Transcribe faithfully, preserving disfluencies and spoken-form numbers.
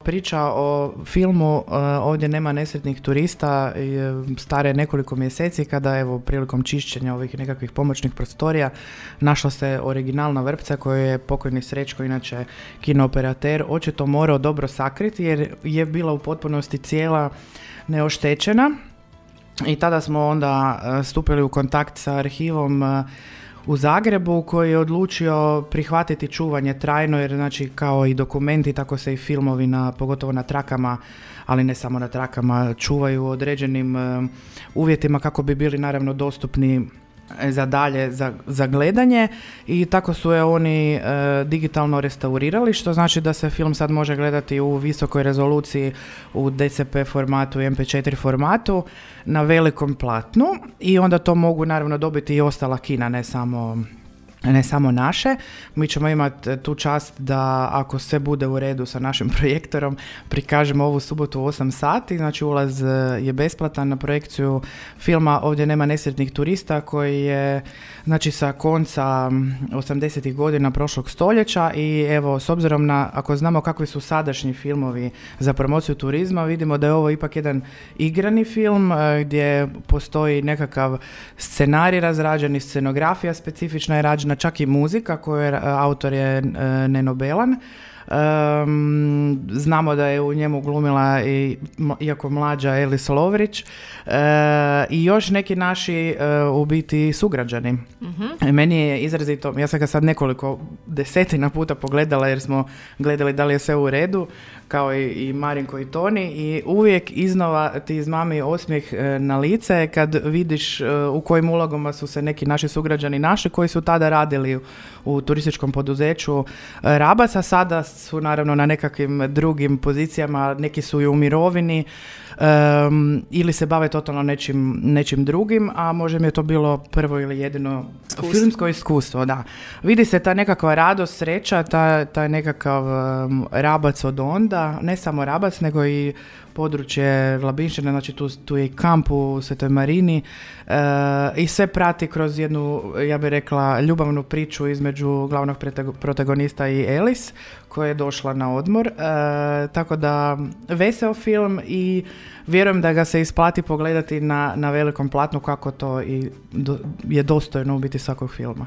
priča o filmu uh, Ovdje nema nesretnih turista stare nekoliko mjeseci kada evo prilikom čišćenja ovih nekakvih pomoćnih prostorija našla se originalna vrpca koju je pokojni Srećko, inače kinooperater, očito morao dobro sakriti jer je bila u potpunosti cijela neoštećena. I tada smo onda uh, stupili u kontakt sa arhivom uh, u Zagrebu koji je odlučio prihvatiti čuvanje trajno, jer znači kao i dokumenti tako se i filmovi na, pogotovo na trakama, ali ne samo na trakama, čuvaju u određenim uh, uvjetima kako bi bili naravno dostupni za dalje, za, za gledanje, i tako su je oni e, digitalno restaurirali, što znači da se film sad može gledati u visokoj rezoluciji, u D C P formatu i M P četiri formatu na velikom platnu, i onda to mogu naravno dobiti i ostala kina, ne samo ne samo naše. Mi ćemo imati tu čast da ako sve bude u redu sa našim projektorom prikažemo ovu subotu u osam sati, znači ulaz je besplatan na projekciju filma Ovdje nema nesretnih turista koji je znači sa konca osamdesetih godina prošlog stoljeća, i evo s obzirom na, ako znamo kakvi su sadašnji filmovi za promociju turizma, vidimo da je ovo ipak jedan igrani film gdje postoji nekakav scenarij razrađen, scenografija specifična je rađena, čak i muzika koju je, autor je Neno Belan. Um, znamo da je u njemu glumila i, iako mlađa, Elis Lovrić uh, i još neki naši uh, u biti sugrađani. Uh-huh. Meni je izrazito, ja sam ga sad nekoliko desetina puta pogledala jer smo gledali da li je sve u redu, kao i, i Marinko i Toni, i uvijek iznova ti izmami osmijeh uh, na lice kad vidiš uh, u kojim ulogama su se neki naši sugrađani našli koji su tada radili u, u turističkom poduzeću uh, Rabac, a sada su naravno na nekakvim drugim pozicijama, neki su i u mirovini um, ili se bave totalno nečim, nečim drugim, a možda mi je to bilo prvo ili jedino iskustvo. Filmsko iskustvo, da. Vidi se ta nekakva radost, sreća, ta, ta nekakav um, Rabac od onda, ne samo Rabac, nego i područje Labinštine, znači tu, tu je i kamp u Svetoj Marini e, i sve prati kroz jednu, ja bih rekla, ljubavnu priču između glavnog protagonista i Elis koja je došla na odmor, e, tako da veseo film i vjerujem da ga se isplati pogledati na, na velikom platnu kako to i do, je dostojno u biti svakog filma.